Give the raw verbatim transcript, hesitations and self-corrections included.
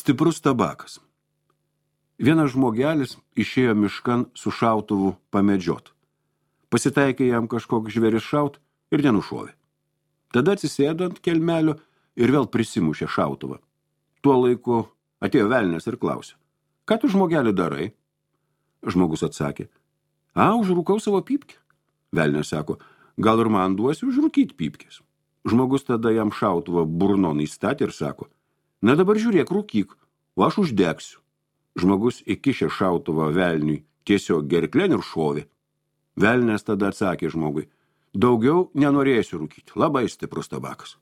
Stiprus tabakas. Vienas žmogelis išėjo miškan su šautuvu pamedžiot. Pasitaikė jam kažkoks žvėris šaut ir nenušovė. Tada atsisėdo ant kelmelio ir vėl prisimušė šautuvą. Tuo laiku atėjo velnias ir klausė: ką tu, žmogelį, darai? Žmogus atsakė: a, užrūkau savo pypkę. Velnias sako: gal ir man duosi užrūkyti pypkės. Žmogus tada jam šautuvą burnon įstatė ir sako: na dabar žiūrėk, rūkyk, o aš uždegsiu. Žmogus įkišė šautuvą velniui tiesiog gerklen ir šovė. Velnias tada atsakė žmogui: daugiau nenorėsiu rūkyti, labai stiprus tabakas.